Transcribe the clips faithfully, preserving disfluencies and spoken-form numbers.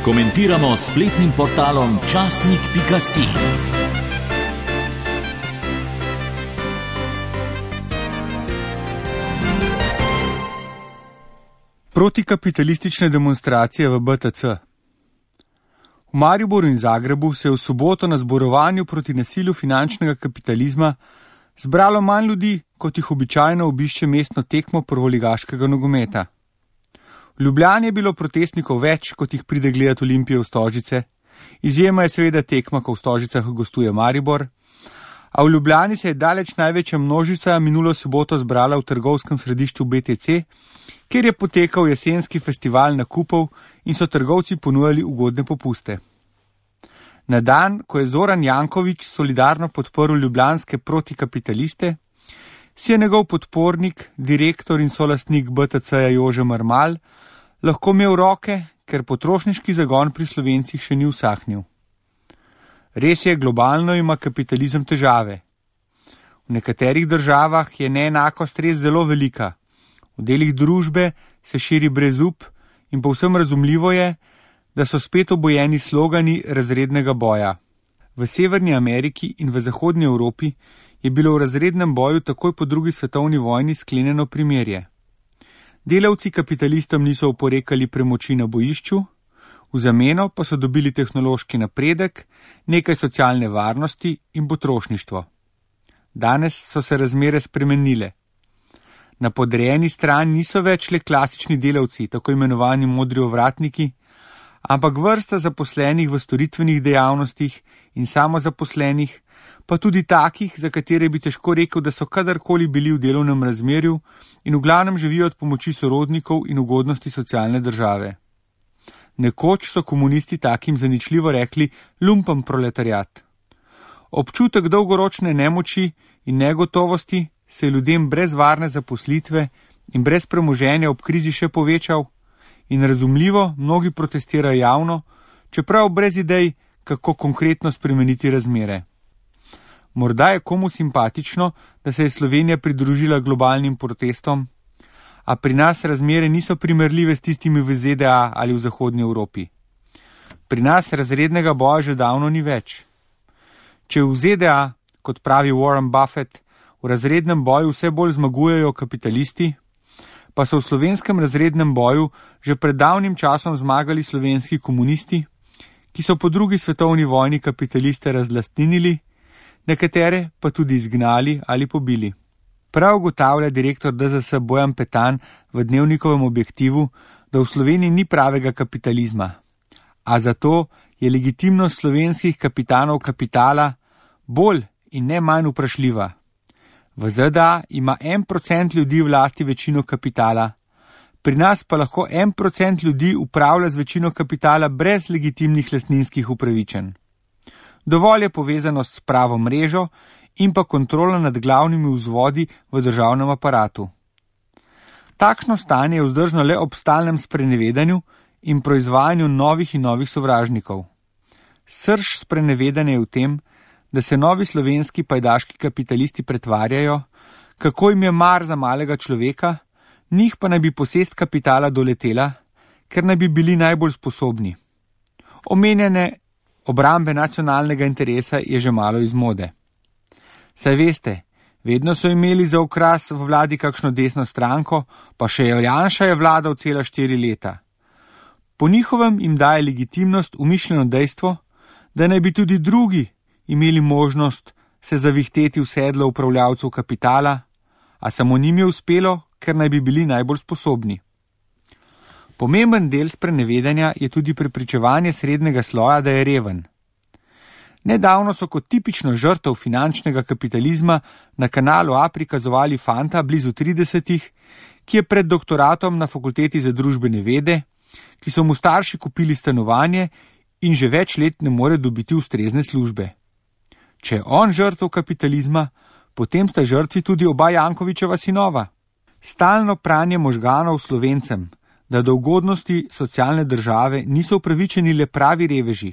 Komentiramo s spletnim portalom časnik pika si. Protikapitalistične demonstracije v B T C. V Mariboru in Zagrebu se je v soboto na zborovanju proti nasilju finančnega kapitalizma zbralo manj ljudi, kot jih običajno obišče mestno tekmo prvoligaškega nogometa. V Ljubljani je bilo protestnikov več, kot jih pride gledati Olimpijo v Stožice. Izjema je seveda tekma, ko v Stožicah gostuje Maribor. A v Ljubljani se je daleč največja množica minulo soboto zbrala v trgovskem središču B T C, kjer je potekal jesenski festival nakupov in so trgovci ponujali ugodne popuste. Na dan, ko je Zoran Janković solidarno podprl ljubljanske protikapitaliste, si je njegov podpornik, direktor in solastnik B T C-ja Jože Marmal lahko imel roke, ker potrošniški zagon pri Slovencih še ni usahnil. Res je, globalno ima kapitalizem težave. V nekaterih državah je neenakost res zelo velika. V delih družbe se širi brezup in povsem razumljivo je, da so spet obojeni slogani razrednega boja. V Severni Ameriki in v Zahodnji Evropi je bilo v razrednem boju takoj po drugi svetovni vojni sklenjeno primerje. Delavci kapitalistom niso oporekali premoči na bojišču, v zameno pa so dobili tehnološki napredek, nekaj socialne varnosti in potrošništvo. Danes so se razmere spremenile. Na podrejeni strani niso več le klasični delavci, tako imenovani modri ovratniki, ampak vrsta zaposlenih v storitvenih dejavnostih in samozaposlenih, pa tudi takih, za katere bi težko rekel, da so kadarkoli bili v delovnem razmerju in v glavnem živijo od pomoči sorodnikov in ugodnosti socialne države. Nekoč so komunisti takim zaničljivo rekli lumpen proletariat. Občutek dolgoročne nemoči in negotovosti se je ljudem brez varne zaposlitve in brez premoženja ob krizi še povečal in razumljivo mnogi protestirajo javno, čeprav brez idej, kako konkretno spremeniti razmere. Morda je komu simpatično, da se je Slovenija pridružila globalnim protestom, a pri nas razmere niso primerljive s tistimi v Z D A ali v Zahodnji Evropi. Pri nas razrednega boja že davno ni več. Če v Z D A, kot pravi Warren Buffett, v razrednem boju vse bolj zmagujejo kapitalisti, pa so v slovenskem razrednem boju že pred davnim časom zmagali slovenski komunisti, ki so po drugi svetovni vojni kapitaliste razlastninili, nekatere pa tudi izgnali ali pobili. Prav ugotavlja direktor D Z S Bojan Petan v Dnevnikovem objektivu, da v Sloveniji ni pravega kapitalizma, a zato je legitimnost slovenskih kapitanov kapitala bolj in ne manj vprašljiva. V Z D A ima en procent ljudi v lasti večino kapitala, pri nas pa lahko en procent ljudi upravlja z večino kapitala brez legitimnih lastninskih upravičenj. Dovolj je povezanost s pravo mrežo in pa kontrola nad glavnimi vzvodi v državnem aparatu. Takšno stanje je vzdržno le ob stalnem sprenevedanju in proizvajanju novih in novih sovražnikov. Srž sprenevedanja je v tem, da se novi slovenski pajdaški kapitalisti pretvarjajo, kako jim je mar za malega človeka, njih pa naj bi posest kapitala doletela, ker naj bi bili najbolj sposobni. Omenjene obrambe nacionalnega interesa je že malo iz mode. Saj veste, vedno so imeli za okras v vladi kakšno desno stranko, pa še Janša je vladal cela štiri leta. Po njihovem jim daje legitimnost umišljeno dejstvo, da naj bi tudi drugi imeli možnost se zavihteti v sedlo upravljavcev kapitala, a samo njim je uspelo, ker naj bi bili najbolj sposobni. Pomemben del sprenevedanja je tudi prepričevanje srednjega sloja, da je reven. Nedavno so kot tipično žrtev finančnega kapitalizma na kanalu A prikazovali fanta blizu tridesetih, ki je pred doktoratom na fakulteti za družbene vede, ki so mu starši kupili stanovanje in že več let ne more dobiti ustrezne službe. Če je on žrtev kapitalizma, potem sta žrtvi tudi oba Jankovićeva sinova. Stalno pranje možganov Slovencem, da do ugodnosti socialne države niso upravičeni le pravi reveži,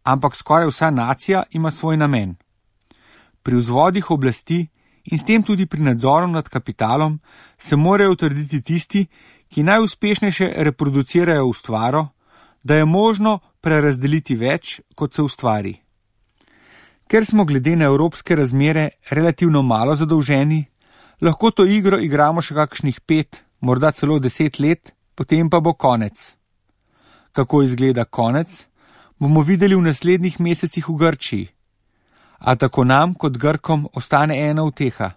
ampak skoraj vsa nacija ima svoj namen. Pri vzvodih oblasti in s tem tudi pri nadzoru nad kapitalom se morajo utrditi tisti, ki najuspešnejše reproducirajo ustvaro, da je možno prerazdeliti več, kot se ustvari. Ker smo glede na evropske razmere relativno malo zadolženi, lahko to igro igramo še kakšnih pet, morda celo deset let, potem pa bo konec. Kako izgleda konec, bomo videli v naslednjih mesecih v Grčiji. A tako nam kot Grkom ostane ena uteha.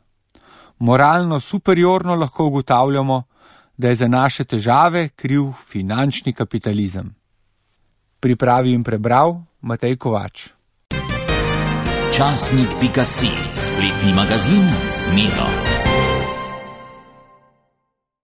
Moralno superiorno lahko ugotavljamo, da je za naše težave kriv finančni kapitalizem. Pripravi in prebral Matej Kovač. Časnik pika si, spletni magazin z Medo.